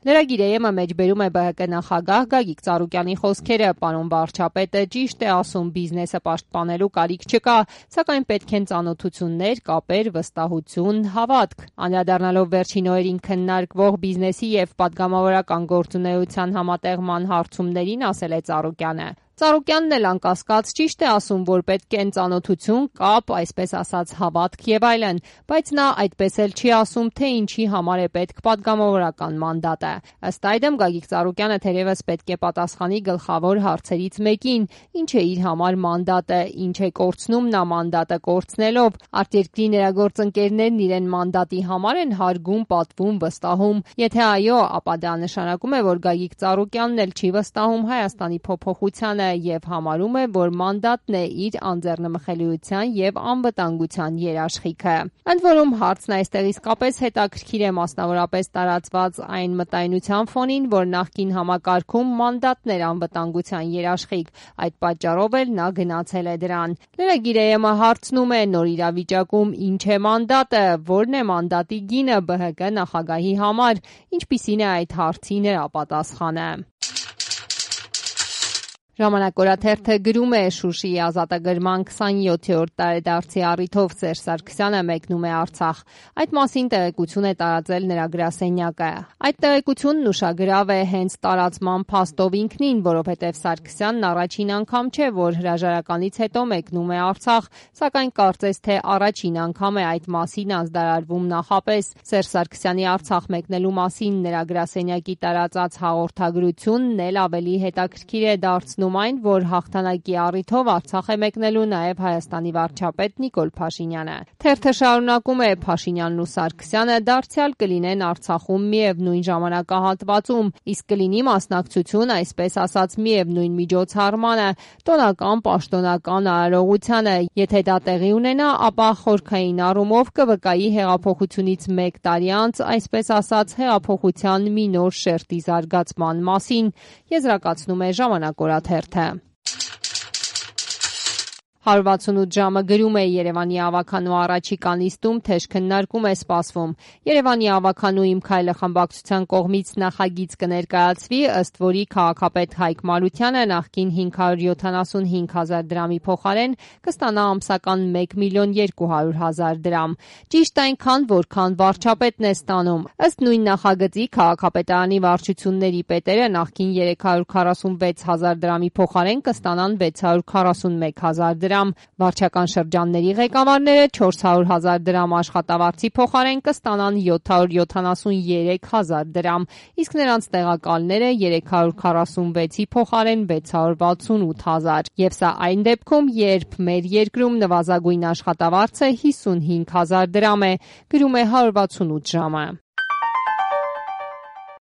Լրագիր AM-ը մեջբերում է ԲՀԿ նախագահ Գագիկ Ծառուկյանի խոսքերը. «Պարոն վարչապետը ճիշտ է ասում, բիզնեսը պաշտպանելու կարիք չկա, սակայն պետք են ծանոթություններ, կապեր, վստահություն, հավատք»։ Անդրադառնալով վերջին օրերին քննարկվող բիզնեսի եւ պատգամավորական գործունեության համատեղման հարցումներին, ասել է Ծառուկյանը. Ծառուկյանն էլ անկասկած ճիշտ է ասում, որ պետք են ծանոթություն, կապ, այսպես ասած հավատք եւ այլն, բայց նա այդպես էլ չի ասում, թե ինչի համար է պետք պատգամավորական մանդատը։ Ըստ այդմ Գագիկ Ծառուկյանը թերևս պետք է պատասխանի գլխավոր հարցերից մեկին՝ ինչ է իր համար մանդատը, ինչ է կորցնում նա մանդատը կորցնելով, արտերկրի ներագործընկերներն իրեն մանդատի համար են հարգում, պատվում, վստահում։ Եթե այո, ապա դա նշանակում է, որ Գագիկ Ծառուկյանն էլ չի վստահում Հայաստանի փոփոխությանը եւ համարում է, որ մանդատն է իր անձեռնմխելիության եւ անվտանգության երաշխիքը։ Ընդ որում հարցն այստեղ իսկապես հետաքրքիր է, մասնավորապես տարածված այն մտայնության ֆոնին, որ նախկին համակարգում մանդատն էր անվտանգության երաշխիք, այդ պատճառով էլ նա գնացել է դրան։ Լրագիր AM-ը հարցնում է. նոր իրավիճակում ինչ է մանդատը, որն է մանդատի գինը ԲՀԿ նախագահի համար, ինչպիսին է այդ հարցի նրա պատասխանը։ Ժամանակ օրաթերթը գրում է. Շուշիի ազատագրման 27-րդ տարեդարձի առիթով Սերժ Սարգսյանը մեկնում է Արցախ։ Այդ մասին տեղեկություն է տարածել նրա գրասենյակը։ Այդ տեղեկությունն ուշագրավ է հենց տարածման փաստով ինքնին, որովհետև Սարգսյանն առաջին անգամ չէ, որ հրաժարականից հետո մեկնում է Արցախ, սակայն կարծես թե առաջին անգամ է այդ մասին ազդարարվում նախապես։ Սերժ Սարգսյանի Արցախ մեկնելու մասին նրա գրասենյակի տարածած հաղորդագրությունն էլ ավելի հետաքրքիր է դարձնում այն, որ հաղթանակի առիթով Արցախ է մեկնելու նաև Հայաստանի վարչապետ Նիկոլ Փաշինյանը։ Թերթը շարունակում է. Փաշինյանն ու Սարգսյանը դարձյալ կլինեն Արցախում միևնույն ժամանակահատվածում, իսկ կլինի մասնակցություն, այսպես ասած, միևնույն միջոցառմանը, տոնական, պաշտոնական արարողությանը։ Եթե դա տեղի ունենա, ապա խորքային առումով կվկայի հեղափոխությունից 1 տարի անց, այսպես ասած, հեղափոխության մի նոր շերտի զարգացման մասին, եզրակացնում է Ժամանակ օրաթերթը։ 168 ժամը գրում է. Երևանի ավականու առաջիկա նիստում թեժ քննարկում է սպասվում։ Երևանի ավականու Իմ քայլը խմբակցության կողմից նախագիծ կներկայացվի, ըստ որի քաղաքապետ Հայկ Մարությանը նախկին 575,000 դրամի փոխարեն կստանա ամսական 1,200,000 դրամ։ Ճիշտ այնքան, որքան վարչապետն է ստանում։ Ըստ նույն նախագծի քաղաքապետարանի վարչությունների պետերը նախկին 346,000 դրամի փոխարեն կստանան 641,000 դրամ։ Վարչական շրջանների ղեկավարները 400,000 դրամ աշխատավարձի փոխարեն կստանան 773,000 դրամ, իսկ նրանց տեղակալները 346-ի փոխարեն 668,000։ Եվ սա այն դեպքում, երբ մեր երկրում նվազագույն աշխատավարձը 55,000 դրամ է, գրում է 168 ժամը։